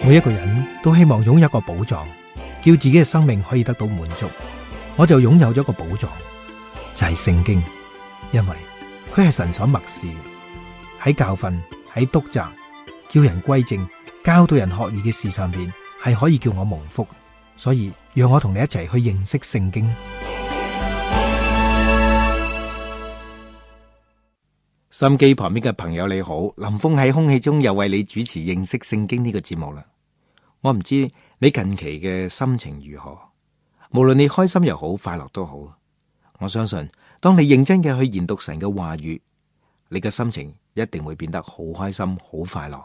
每一個人都希望擁有一個寶藏，叫自己嘅生命可以得到滿足。我就擁有咗一個寶藏，就係聖經，因為佢係神所默示，喺教訓、喺督責、叫人歸正、教導人學義嘅事上邊，係可以叫我蒙福。所以讓我同你一齊去認識聖經。收音機旁邊嘅朋友你好，林峰喺空氣中又為你主持認識聖經呢個節目啦。我唔知你近期嘅心情如何，無論你開心又好，快樂都好。我相信當你認真嘅去研讀神嘅話語，你嘅心情一定會變得好開心、好快樂。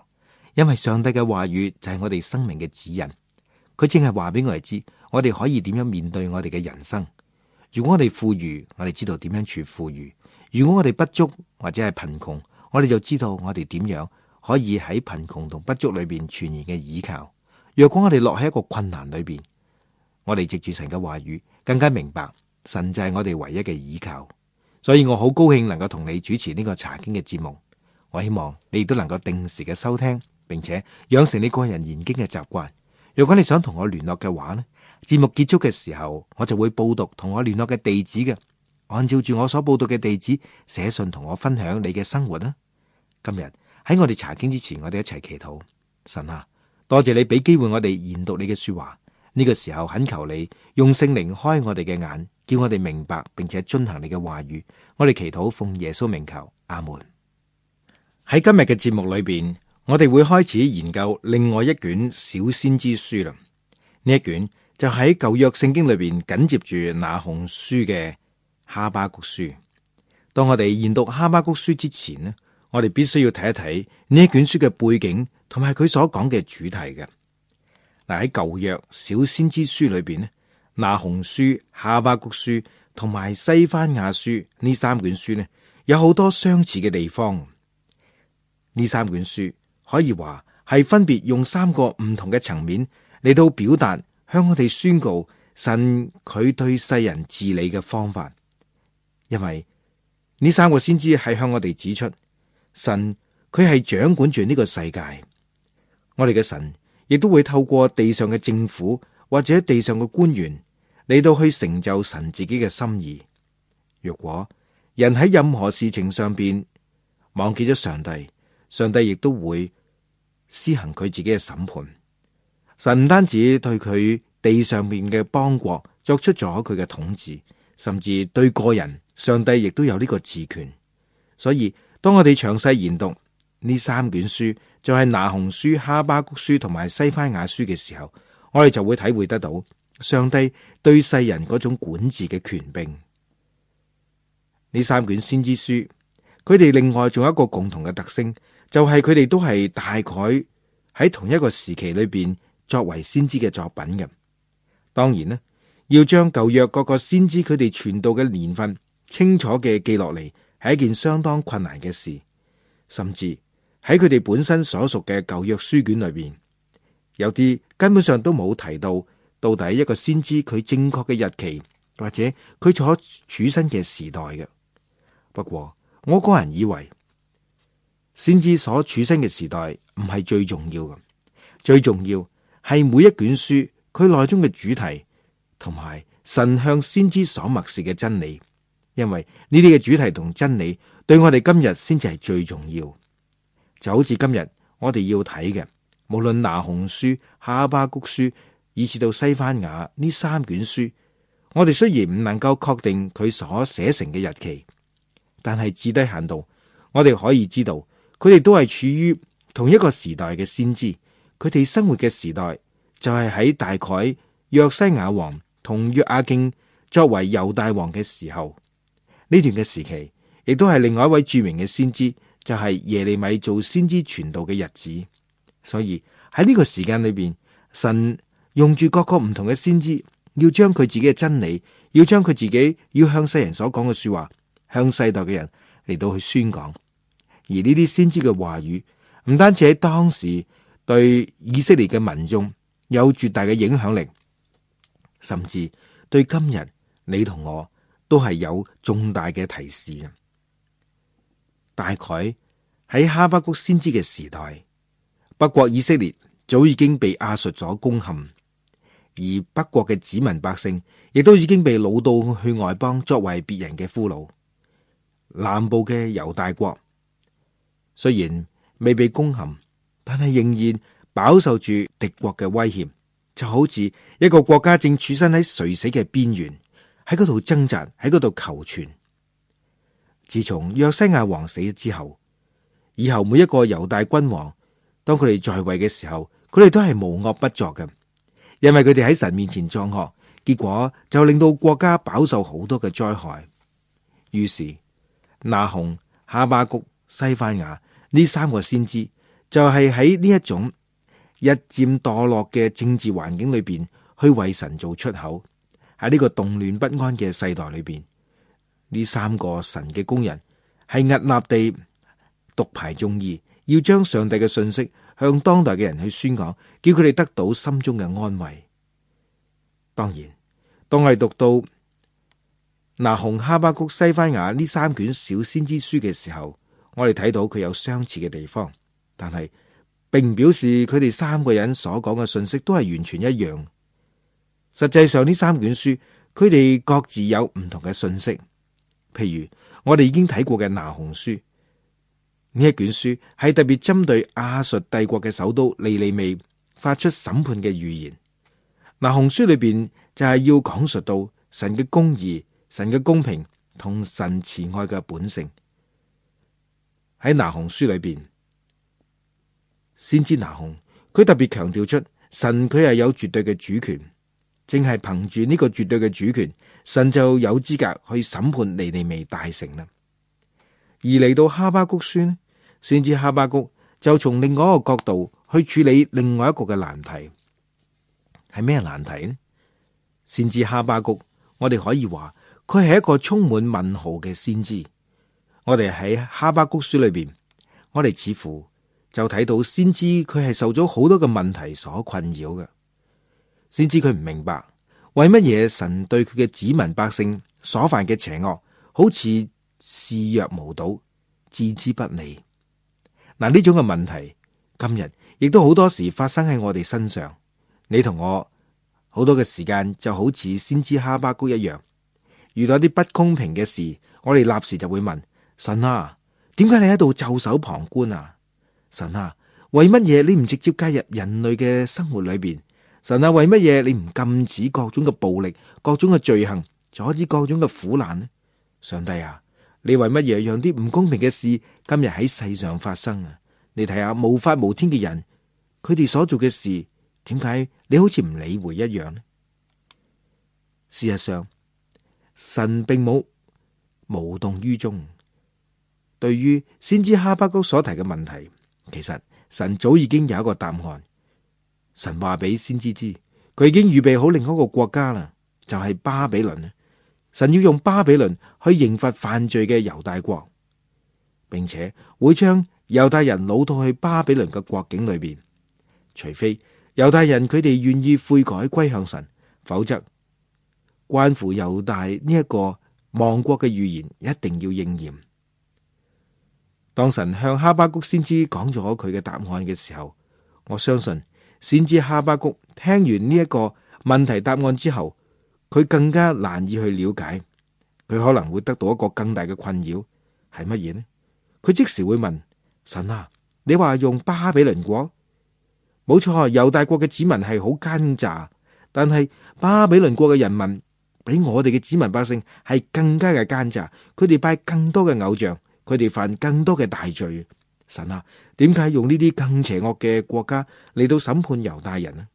因為上帝嘅話語就係我哋生命嘅指引，佢正係話俾我哋知，我哋可以點樣面對我哋嘅人生。如果我哋富裕，我哋知道點樣處富裕；如果我哋不足或者係貧窮，我哋就知道我哋點樣可以喺貧窮同不足裏邊全然嘅倚靠。若果我哋落喺一個困難裏邊，我哋藉住神嘅話語，更加明白神就係我哋唯一嘅倚靠。所以我好高興能夠同你主持呢個查經嘅節目。我希望你亦都能夠定時嘅收聽，並且養成你個人研經嘅習慣。如果你想同我聯絡嘅話呢，節目結束嘅時候，我就會報讀同我聯絡嘅地址嘅。按照住我所報讀嘅地址寫信同我分享你嘅生活啦。今日喺我哋查經之前，我哋一齊祈禱。神啊，多謝你俾機會我哋研讀你嘅說話。呢個時候懇求你用聖靈開我哋嘅眼，叫我哋明白並且遵行你嘅話語。我哋祈禱奉耶穌名求，阿門。喺今日嘅節目裏邊，我哋會開始研究另外一卷小先知書啦。呢一卷就喺舊約聖經裏邊緊接住那鴻書嘅哈巴谷書。當我哋研讀哈巴谷書之前呢，我哋必須要睇一睇呢一卷書嘅背景同埋佢所講嘅主題嘅。嗱，喺舊約小先知書裏邊呢，那鴻書、哈巴谷書同埋西番雅書呢三卷書呢，有好多相似嘅地方。呢三卷書可以話係分別用三個唔同嘅層面嚟到表達，向我哋宣告神佢對世人治理嘅方法。因為呢三個先知係向我哋指出，神佢係掌管住呢個世界。我哋嘅神亦都會透過地上嘅政府或者地上嘅官員嚟到去成就神自己嘅心意。如果人喺任何事情上邊忘記咗上帝，上帝亦都會施行佢自己嘅審判。神唔單止對佢地上面嘅邦國作出咗佢嘅統治，甚至對個人，上帝亦都有呢個治權。所以當我哋詳細研讀呢三卷書，就係那鴻書、哈巴谷書同埋西番雅書嘅時候，我哋就會體會得到上帝對世人嗰種管治嘅權柄。呢三卷先知書，佢哋另外仲有一個共同嘅特性，就係佢哋都係大概喺同一個時期裏邊作為先知嘅作品嘅。當然呢，要將舊約各個先知佢哋傳道嘅年份清楚嘅記落嚟，係一件相當困難嘅事。甚至喺佢哋本身所屬嘅舊約書卷裏邊，有啲根本上都冇提到底一個先知佢正確嘅日期，或者佢所處身嘅時代嘅。不過我個人以為，先知所處身嘅時代唔係最重要嘅，最重要係每一卷書佢內中嘅主題，同埋神向先知所默示嘅真理。因為呢啲嘅主題同真理對我哋今日先至係最重要。就好似今日我哋要睇嘅，無論那鴻書、哈巴谷書，以至到西番雅呢三卷書，我哋雖然唔能夠確定佢所寫成嘅日期，但係至低限度，我哋可以知道佢哋都係處於同一個時代嘅先知。佢哋生活嘅時代就係喺大概約西亞王同約雅敬作為猶大王嘅時候。呢段嘅時期亦都係另外一位著名嘅先知，就係耶利米做先知傳道嘅日子。所以喺呢個時間裏邊，神用住各個唔同嘅先知，要將佢自己嘅真理，要將佢自己要向世人所講嘅說話，向世代嘅人嚟到去宣講。而呢啲先知嘅話語唔單止喺當時對以色列嘅民眾有絕大嘅影響力，甚至對今日你同我都係有重大嘅提示嘅。大概喺哈巴谷先知嘅時代，北國以色列早已經被亞述所攻陷，而北國嘅子民百姓亦都已經被擄到去外邦作為別人嘅俘虜。南部嘅猶大國雖然未被攻陷，但係仍然飽受住敵國嘅威脅，就好似一個國家正處身喺垂死嘅邊緣，喺嗰度掙扎，喺嗰度求存。自從約西亞王死咗之後，以後每一個猶大君王，當佢哋在位嘅時候，佢哋都係無惡不作嘅，因為佢哋喺神面前作惡，結果就令到國家飽受好多嘅災害。於是那鴻、哈巴谷、西番雅呢三個先知就係喺呢一種日漸墮落嘅政治環境裏邊，去為神做出口。喺呢個動亂不安嘅世代裏邊，呢三個神嘅工人係屹立地獨排眾議，要將上帝嘅信息向當代嘅人去宣講，叫佢哋得到心中嘅安慰。當然，當我哋讀到那鴻、哈巴谷、西番雅呢三卷小先知書嘅時候，我哋睇到佢有相似嘅地方，但係並唔表示佢哋三個人所講嘅信息都係完全一樣。實際上呢三卷書，佢哋各自有唔同嘅信息。譬如我哋已經睇過嘅那鴻書，呢一卷書係特別針對亞述帝國嘅首都尼尼微發出審判嘅預言。那鴻書裏邊就係要講述到神嘅公義、神嘅公平同神慈愛嘅本性。喺那鴻書裏邊，先知那鴻佢特別強調出神佢係有絕對嘅主權，正係憑住呢個絕對嘅主權，神就有資格去審判尼尼微大城啦。而嚟到哈巴谷書呢，先知哈巴谷就從另外一個角度去處理另外一個嘅難題。係咩難題呢？先知哈巴谷，我哋可以話佢係一個充滿問號嘅先知。我哋喺哈巴谷書裏邊，我哋似乎就睇到先知佢係受咗好多嘅問題所困擾嘅。先知佢唔明白為乜嘢神對佢嘅子民百姓所犯嘅邪惡，好似視若無睹，置之不理。嗱，呢種嘅問題今日亦都好多時發生喺我哋身上。你同我好多嘅時間就好似先知哈巴谷一樣，遇到啲不公平嘅事，我哋立時就會問神啊，點解你喺度袖手旁觀啊？神啊，為乜嘢你唔直接介入人類嘅生活裏邊？神啊，為乜嘢你唔禁止各種嘅暴力、各種嘅罪行，阻止各種嘅苦難呢？上帝啊，你為乜嘢讓啲唔公平嘅事今日喺世上發生啊？你睇下無法無天嘅人，佢哋所做嘅事，點解你好似唔理會一樣呢？事實上，神並冇無動於衷。對於先知哈巴谷所提嘅問題，其實神早已經有一個答案。神話俾先知知，佢已經預備好另一個國家啦，就係巴比倫。神要用巴比倫去刑罰犯罪嘅猶大國，並且會將猶大人擄到去巴比倫嘅國境裏邊，除非猶大人佢哋願意悔改歸向神，否則關乎猶大呢一個亡國嘅預言一定要應驗。當神向哈巴谷先知講咗佢嘅答案嘅時候，我相信先知哈巴谷聽完呢一個問題答案之後，佢更加難以去了解，佢可能會得到一個更大嘅困擾，係乜嘢呢？佢即時會問神啊，你話用巴比倫國？冇錯，猶大國嘅子民係好奸詐，但係巴比倫國嘅人民比我哋嘅子民百姓係更加嘅奸詐，佢哋拜更多嘅偶像，佢哋犯更多嘅大罪。神啊，點解用呢啲更邪惡嘅國家嚟到審判猶大人呢？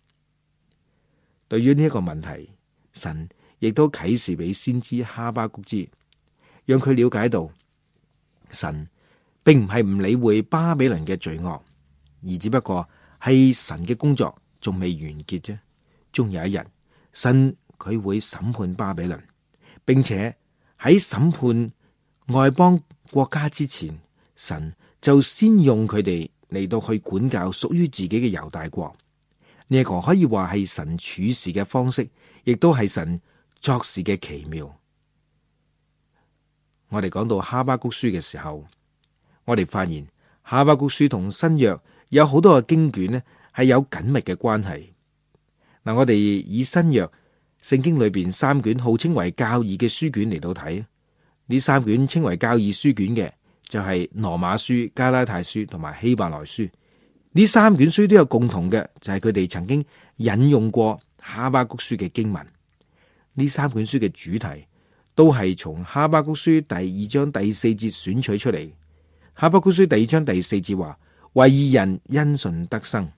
對於呢一個問題，神亦都啟示俾先知哈巴谷知，讓佢了解到神並唔係唔理會巴比倫嘅罪惡，而只不過係神嘅工作仲未完結啫。終有一日，神佢會審判巴比倫，並且喺審判外邦國家之前，神就先用佢哋嚟到去管教屬於自己嘅猶大國。呢一個可以話係神處事嘅方式，亦都係神作事嘅奇妙。我哋講到哈巴谷書嘅時候，我哋發現哈巴谷書同新約有好多嘅經卷呢，係有緊密嘅關係。嗱，我哋以新約聖經裏邊三卷號稱為教義嘅書卷嚟到睇，呢三卷稱為教義書卷嘅就係羅馬書、加拉太書同埋希伯來書。呢三卷書都有共同嘅，就係佢哋曾經引用過哈巴谷書嘅經文。呢三卷書嘅主題都係從哈巴谷書第二章第四節選取出嚟。哈巴谷書第二章第四節話：為義人因信得生。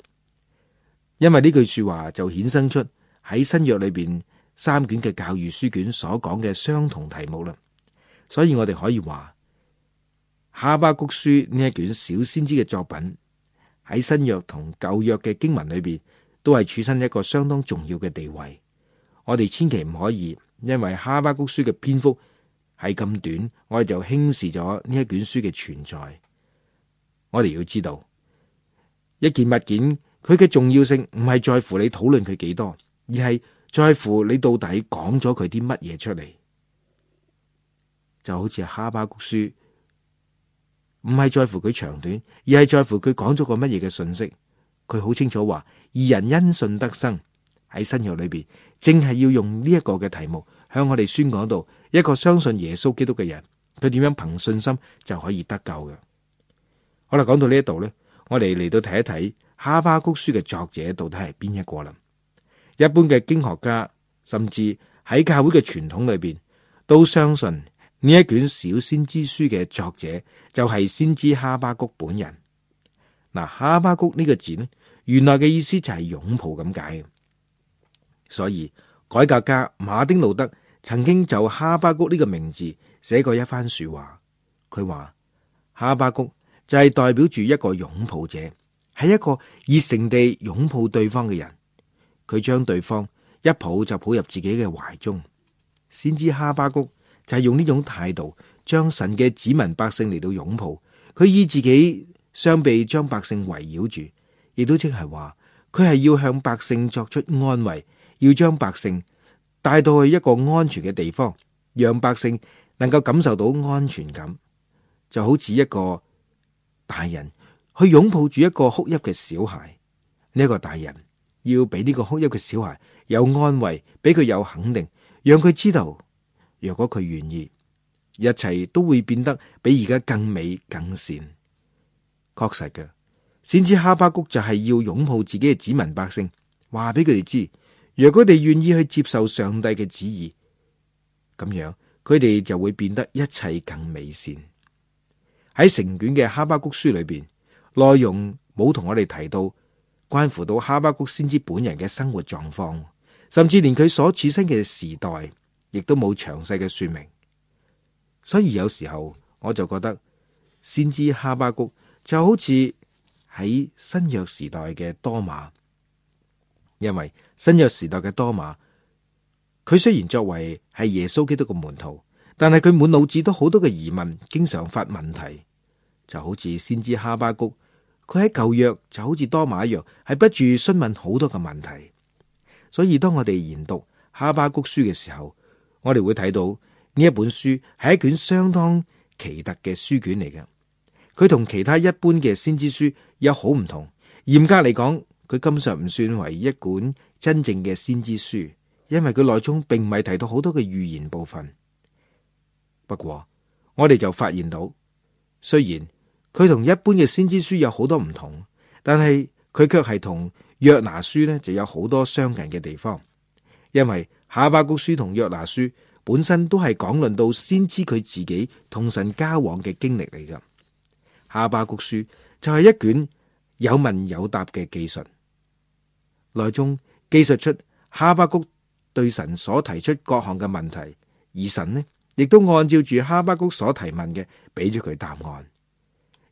因為呢句說話就衍生出喺新約裏邊三卷嘅教義書卷所講嘅相同題目啦。所以我哋可以話哈巴谷書呢一卷小先知嘅作品喺新約同舊約嘅經文裏邊都係處身一個相當重要嘅地位。我哋千祈唔可以因為哈巴谷書嘅篇幅係咁短，我哋就輕視咗呢一卷書嘅存在。我哋要知道，一件物件佢嘅重要性唔係在乎你討論佢幾多，而係在乎你到底講咗佢啲乜嘢出嚟。就好似哈巴谷書，唔係在乎佢長短，而係在乎佢講咗個乜嘢嘅信息。佢好清楚話，義人因信得生。喺新約裏邊，正係要用呢一個嘅題目向我哋宣講到一個相信耶穌基督嘅人，佢點樣憑信心就可以得救嘅。好啦，講到呢一度呢，我哋嚟到睇一睇哈巴谷書嘅作者到底係邊一個啦。一般嘅經學家，甚至喺教會嘅傳統裏邊，都相信呢一卷小先知書嘅作者就係先知哈巴谷本人。嗱，哈巴谷呢個字呢，原來嘅意思就係擁抱咁解。所以改革家馬丁路德曾經就哈巴谷呢個名字寫過一番說話。佢話哈巴谷就係代表住一個擁抱者，係一個熱誠地擁抱對方嘅人。佢將對方一抱就抱入自己嘅懷中。先知哈巴谷就係用呢種態度將神嘅子民百姓嚟到擁抱。佢以自己雙臂將百姓圍繞住，亦都即係話佢係要向百姓作出安慰，要將百姓帶到去一個安全嘅地方，讓百姓能夠感受到安全感，就好似一個大人去擁抱住一個哭泣嘅小孩。呢一個大人要俾呢個哭泣嘅小孩有安慰，俾佢有肯定，讓佢知道，若果佢願意，一切都會變得比而家更美更善。確實嘅，先知哈巴谷就係要擁抱自己嘅子民百姓，話俾佢哋知，若果佢哋願意去接受上帝嘅旨意，咁樣佢哋就會變得一切更美善。喺成卷嘅哈巴谷書裏邊，內容冇同我哋提到關乎到哈巴谷先知本人嘅生活狀況，甚至連佢所處身嘅時代，亦都冇詳細嘅說明。所以有時候我就覺得先知哈巴谷就好似喺新約時代嘅多馬。因為新約時代嘅多馬，佢雖然作為係耶穌基督嘅門徒，但係佢滿腦子都好多嘅疑問，經常發問題，就好似先知哈巴谷，佢喺舊約就好似多馬一樣，係不住詢問好多嘅問題。所以當我哋研讀哈巴谷書嘅時候，我哋會睇到呢一本書係一卷相當奇特嘅書卷嚟嘅。佢同其他一般嘅先知書有好唔同。嚴格嚟講，佢根本上唔算為一本真正嘅先知書，因為佢內中並唔係提到好多嘅預言部分。不過我哋就發現到，雖然佢同一般嘅先知書有好多唔同，但係佢卻係同約拿書呢就有好多相近嘅地方。因為哈巴谷書同約拿書本身都係講論到先知佢自己同神交往嘅經歷嚟㗎。哈巴谷書就係一卷有問有答嘅記述，內中記述出哈巴谷對神所提出各項嘅問題，而神呢亦都按照住哈巴谷所提問嘅，俾咗佢答案。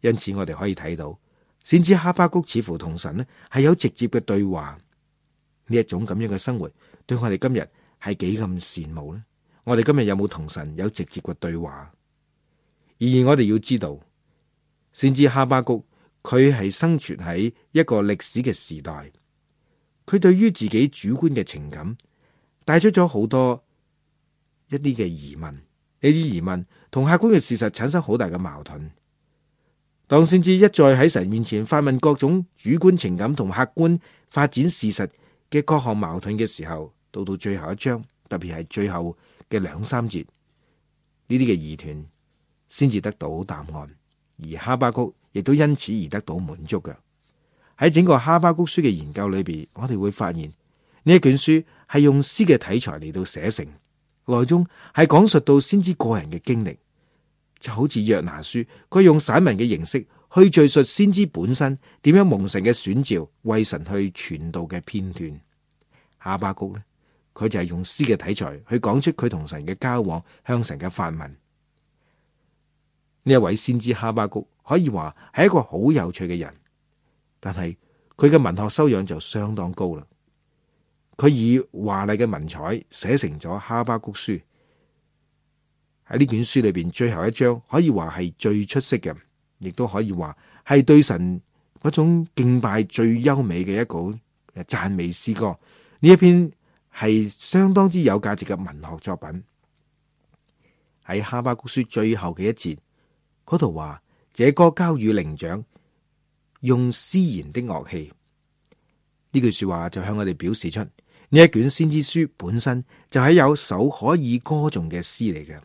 因此我哋可以睇到，先知哈巴谷似乎同神呢係有直接嘅對話。呢一種咁樣嘅生活，對我哋今日係幾咁羨慕呢？我哋今日有冇同神有直接嘅對話？然而我哋要知道，先知哈巴谷佢係生存喺一個歷史嘅時代，佢對於自己主觀嘅情感帶出咗好多一啲嘅疑問，呢啲疑問同客觀嘅事實產生好大嘅矛盾。當先知一再喺神面前發問各種主觀情感同客觀發展事實嘅各項矛盾嘅時候，到最後一章，特別係最後嘅2、3節，呢啲嘅疑團先至得到答案，而哈巴谷亦都因此而得到滿足嘅。喺整個哈巴谷書嘅研究裏邊，我哋會發現呢一卷書係用詩嘅題材嚟到寫成，內中係講述到先知個人嘅經歷，就好似約拿書，佢用散文嘅形式去敘述先知本身點樣蒙神嘅選召，為神去傳道嘅片段。哈巴谷呢，佢就係用詩嘅題材去講出佢同神嘅交往，向神嘅發問。呢一位先知哈巴谷可以話係一個好有趣嘅人，但係佢嘅文學修養就相當高啦。佢以華麗嘅文采寫成咗哈巴谷書。喺呢卷書裏邊，最後一章可以話係最出色嘅，亦都可以話係對神嗰種敬拜最優美嘅一個讚美詩歌。呢一篇係相當之有價值嘅文學作品。喺哈巴谷書最後嘅一節嗰度話，這歌交與伶長，用絲弦的樂器。呢句說話就向我哋表示出呢一卷先知書本身就係有首可以歌頌嘅詩嚟嘅。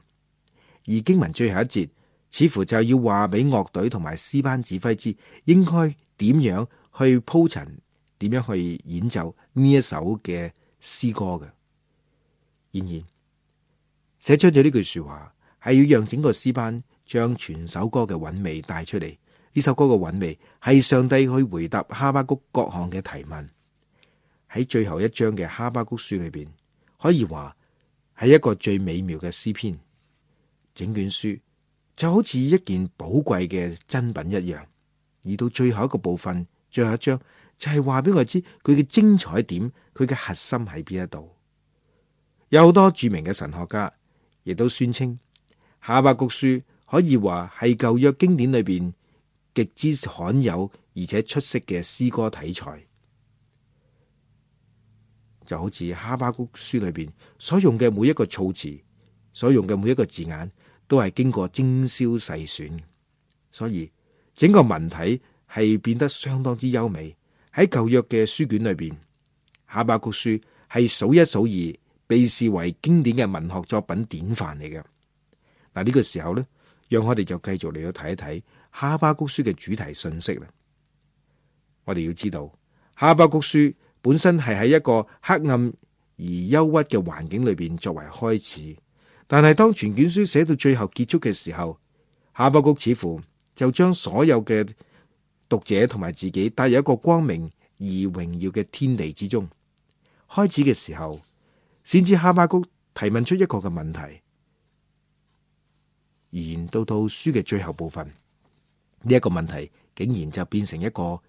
而經文最後一節似乎就要話俾樂隊同埋詩班指揮知應該點樣去鋪陳，點樣去演奏呢一首嘅詩歌嘅。然而寫出咗呢句說話係要讓整個詩班將全首歌嘅韻味帶出嚟。呢首歌嘅韻味係上帝去回答哈巴谷各項嘅提問。喺最後一章嘅哈巴谷書裏邊，可以話係一個最美妙嘅詩篇。整卷書就好似一件寶貴嘅珍品一樣，而到最後一個部分，最後一章就係話俾我知佢嘅精彩點，佢嘅核心喺邊一度。有好多著名嘅神學家亦都宣稱哈巴谷書可以話係舊約經典裏邊極之罕有而且出色嘅詩歌題材。就好似哈巴谷書裏邊所用嘅每一個措辭，所用嘅每一個字眼，都係經過精挑細選，所以整個文體係變得相當之優美。喺舊約嘅書卷裏邊，哈巴谷書係數一數二，被視為經典嘅文學作品典範嚟嘅。嗱，呢個時候呢，讓我哋就繼續嚟到睇一睇哈巴谷書嘅主題信息啦。我哋要知道，哈巴谷書本身係喺一個黑暗而憂鬱嘅環境裏邊作為開始。但係當全卷書寫到最後結束嘅時候，哈巴谷似乎就將所有嘅讀者同埋自己帶入一個光明而榮耀嘅天地之中。開始嘅時候，先知哈巴谷提問出一個嘅問題，而到書嘅最後部分，呢一個問題竟然就變成一個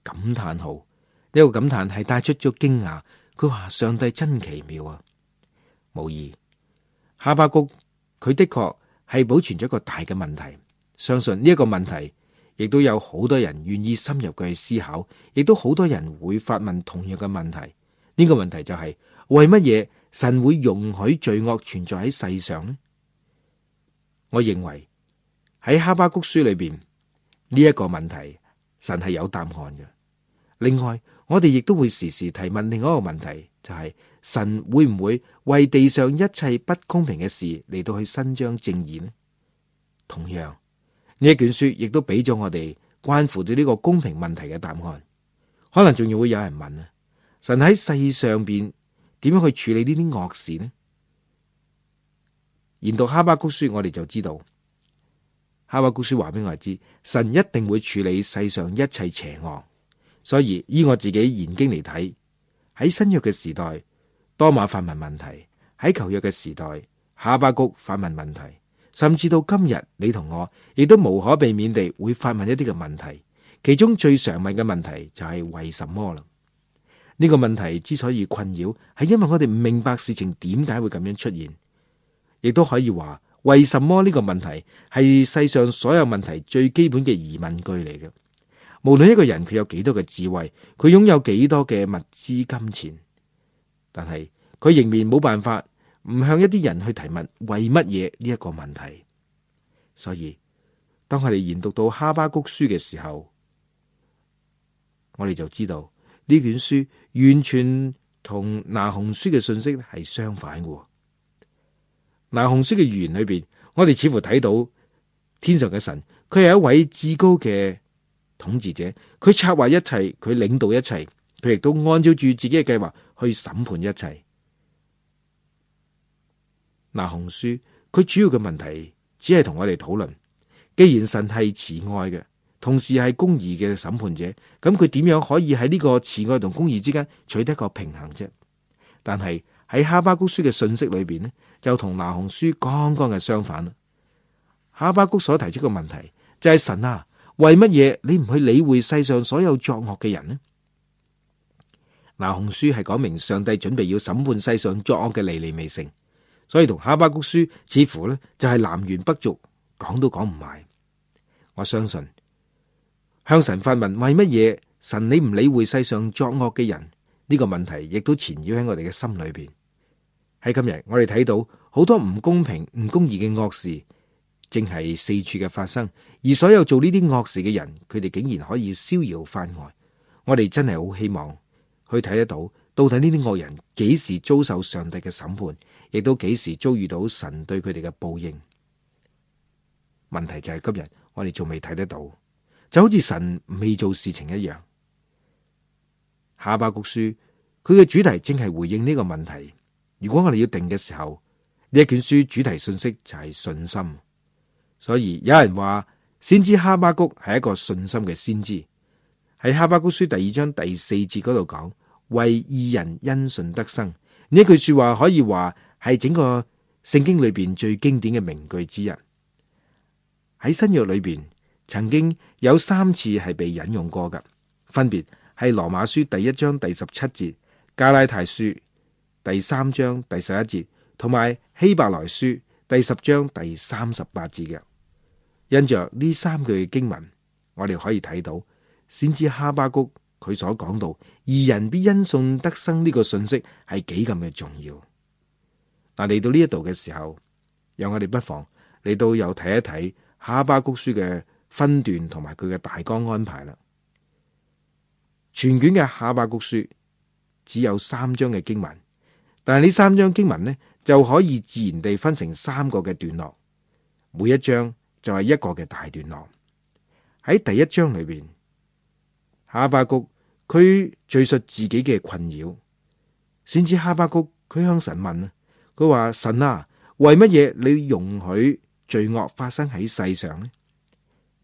感嘆號。呢個感嘆係帶出咗驚訝。佢話上帝真奇妙啊！無疑。哈巴谷佢的確係保存咗一個大嘅問題，相信呢一個問題亦都有好多人願意深入去思考，亦都好多人會發問同樣嘅問題。呢個問題就係為乜嘢神會容許罪惡存在喺世上呢？我認為喺哈巴谷書裏邊呢一個問題，神係有答案嘅。另外，我哋亦都會時時提問另外一個問題，就係神會唔會為地上一切不公平嘅事嚟到去伸張正義呢？同樣，呢一卷書亦都俾咗我哋關乎到呢個公平問題嘅答案。可能仲要會有人問啊，神喺世上邊點樣去處理呢啲惡事呢？研讀哈巴谷書，我哋就知道哈巴谷書話俾我哋知，神一定會處理世上一切邪惡。所以依我自己研經嚟睇，喺新約嘅時代，多馬發問問題；喺舊約嘅時代，哈巴谷發問問題，甚至到今日，你同我亦都無可避免地會發問一啲嘅問題。其中最常問嘅問題就係為什麼啦？呢個問題之所以困擾，係因為我哋唔明白事情點解會咁樣出現，亦都可以話為什麼呢個問題係世上所有問題最基本嘅疑問句嚟嘅。無論一個人佢有幾多嘅智慧，佢擁有幾多嘅物資金錢，但係佢仍然冇辦法唔向一啲人去提問為乜嘢呢一個問題。所以當我哋研讀到哈巴谷書嘅時候，我哋就知道呢卷書完全同那鴻書嘅信息係相反嘅。那鴻書嘅預言裏邊，我哋似乎睇到天上嘅神，佢係一位至高嘅統治者，佢策劃一切，佢領導一切，佢亦都按照住自己嘅計劃去審判一切。那鴻書佢主要嘅問題只係同我哋討論，既然神係慈愛嘅，同時係公義嘅審判者，咁佢點樣可以喺呢個慈愛同公義之間取得一個平衡啫？但係喺哈巴谷書嘅信息裏邊呢，就同那鴻書剛剛嘅相反啦。哈巴谷所提出嘅問題就係神啊，為乜嘢你唔去理會世上所有作惡嘅人呢？那鴻書係講明上帝準備要審判世上作惡嘅尼尼微城，所以同哈巴谷書似乎呢就係南轅北轍，講都講唔埋。我相信向神發問，為乜嘢神你唔理會世上作惡嘅人，呢個問題亦都纏繞喺我哋嘅心裏邊。喺今日我哋睇到好多唔公平、唔公義嘅惡事正係四處嘅發生，而所有做呢啲惡事嘅人，佢哋竟然可以逍遙法外。我哋真係好希望去睇得到，到底呢啲惡人幾時遭受上帝嘅審判，亦都幾時遭遇到神對佢哋嘅報應。問題就係今日我哋仲未睇得到，就好似神未做事情一樣。哈巴谷書佢嘅主題正係回應呢個問題。如果我哋要定嘅時候，呢一卷書主題信息就係信心。所以有人話先知哈巴谷係一個信心嘅先知。喺哈巴谷書第2章第4節嗰度講，為義人因信得生，呢一句說話可以話係整個聖經裏邊最經典嘅名句之一。喺新約裏邊曾經有3次係被引用過㗎，分別係羅馬書第1章第17節、加拉太書第3章第11節，同埋希伯來書第10章第38節嘅。因着呢3句嘅經文，我哋可以睇到先知哈巴谷佢所講到義人必因信得生呢個信息係幾咁嘅重要。嗱，嚟到呢一度嘅時候，讓我哋不妨嚟到又睇一睇哈巴谷書嘅分段同埋佢嘅大綱安排啦。全卷嘅哈巴谷書只有3章嘅經文，但係呢3章經文呢就可以自然地分成3個嘅段落，每一章就係一個嘅大段落。喺第1章裏邊，哈巴谷佢敘述自己嘅困擾，先知哈巴谷佢向神問啊，佢話神啊，為乜嘢你容許罪惡發生喺世上呢？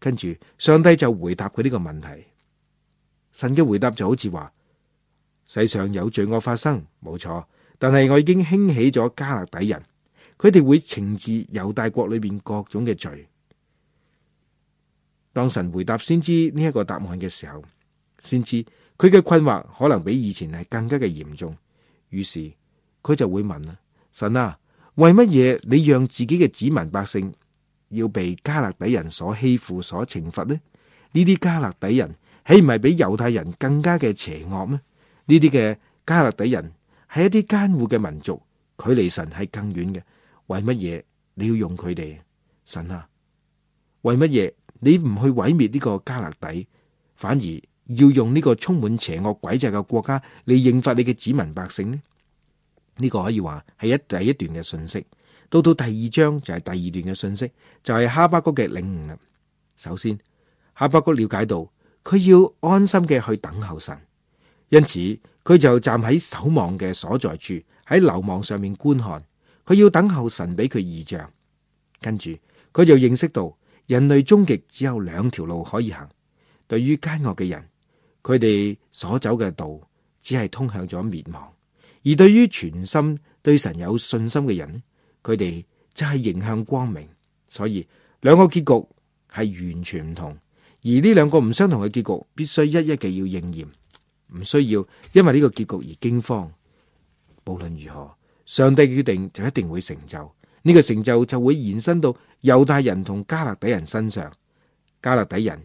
跟住上帝就回答佢呢個問題。神嘅回答就好似話，世上有罪惡發生，冇錯，但係我已經興起咗加勒底人，佢哋會懲治猶大國裏邊各種嘅罪。當神回答先知呢一個答案嘅時候，先知佢嘅困惑可能比以前係更加嘅嚴重，於是佢就會問啦：神啊，為乜嘢你讓自己嘅子民百姓要被加勒底人所欺負、所懲罰呢？呢啲加勒底人豈唔係比猶太人更加嘅邪惡咩？呢啲嘅加勒底人係一啲艱苦嘅民族，距離神係更遠嘅。為乜嘢你要用佢哋？神啊，為乜嘢你唔去毀滅呢個加勒底，反而要用呢個充滿邪惡詭詐嘅國家嚟刑罰你嘅子民百姓呢？呢個可以話係第一段嘅信息。到第2章就係第2段嘅信息，就係哈巴谷嘅領悟啦。首先，哈巴谷了解到佢要安心嘅去等候神，因此佢就站喺守望嘅所在處，喺樓網上面觀看。佢要等候神俾佢異象。跟住佢就認識到人類終極只有2條路可以行。對於奸惡嘅人，佢哋所走嘅道只係通向咗滅亡；而對於全心對神有信心嘅人，佢哋就係迎向光明。所以2個結局係完全唔同，而呢2個唔相同嘅結局必須一一嘅要應驗，唔需要因為呢個結局而驚慌。無論如何，上帝決定就一定會成就，呢個成就就會延伸到猶大人同加勒底人身上。加勒底人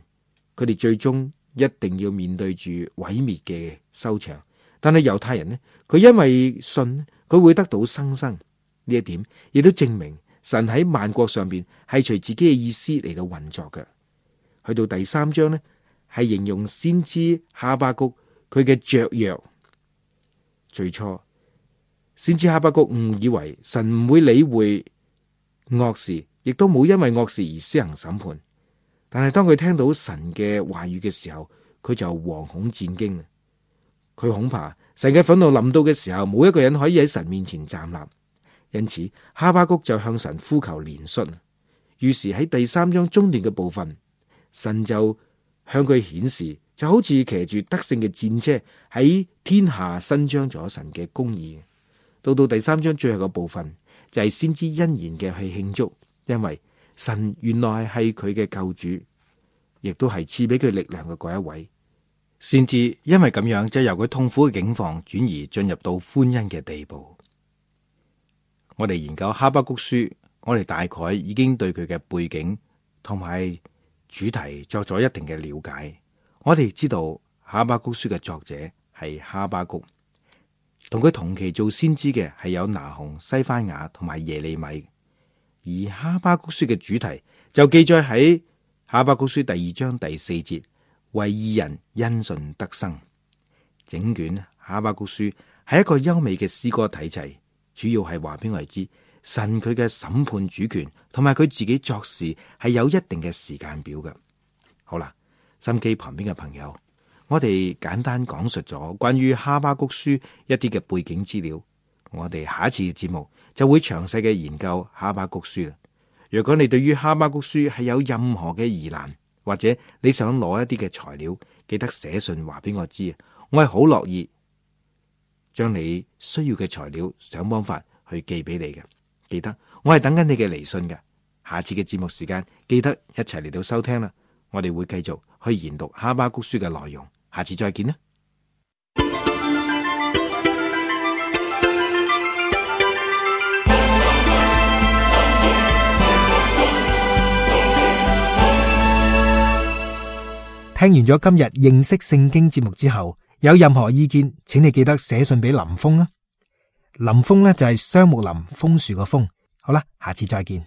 佢哋最終一定要面對住毀滅嘅收場，但係猶太人呢，佢因為信，佢會得到生。呢一點亦都證明神喺萬國上邊係隨自己嘅意思嚟到運作嘅。去到第3章呢，係形容先知哈巴谷佢嘅雀躍。最初先知哈巴谷誤以為神唔會理會惡事，亦都冇因為惡事而施行審判。但係當佢聽到神嘅話語嘅時候，佢就惶恐戰驚。佢恐怕神嘅憤怒臨到嘅時候，冇一個人可以喺神面前站立。因此哈巴谷就向神呼求憐恤。於是喺第3章中段嘅部分，神就向佢顯示，就好似騎住得勝嘅戰車喺天下伸張咗神嘅公義。到第3章最後嘅部分，就係先知欣然嘅去慶祝，因為神原來係佢嘅救主，亦都係賜俾佢力量嘅嗰一位。先知因為咁樣，就由佢痛苦嘅境況轉移進入到歡欣嘅地步。我哋研究哈巴谷書，我哋大概已經對佢嘅背景同埋主題作咗一定嘅了解。我哋知道哈巴谷書嘅作者係哈巴谷，同佢同期做先知嘅係有拿鴻、西番雅同埋耶利米。而哈巴谷書嘅主題就記載喺哈巴谷書第2章第4節，為義人因信得生。整卷哈巴谷書係一個優美嘅詩歌體制，主要係話俾我哋知神佢嘅審判主權同埋佢自己作事係有一定嘅時間表嘅。好啦，心機旁邊嘅朋友，我哋簡單講述咗關於哈巴谷書一啲嘅背景資料。我哋下一次嘅節目就會詳細嘅研究哈巴谷書啦。如果你對於哈巴谷書係有任何嘅疑難，或者你想攞一啲嘅材料，記得寫信話俾我知，我係好樂意將你需要嘅材料想方法去寄俾你嘅。記得我係等緊你嘅嚟信嘅。下次嘅節目時間，記得一齊嚟到收聽啦。我哋會繼續去研讀哈巴谷書嘅內容。下次再見啦。聽完咗今日認識聖經節目之後，有任何意見，請你記得寫信俾林峰啊。林峰呢就係雙木林楓樹個楓。好啦，下次再見。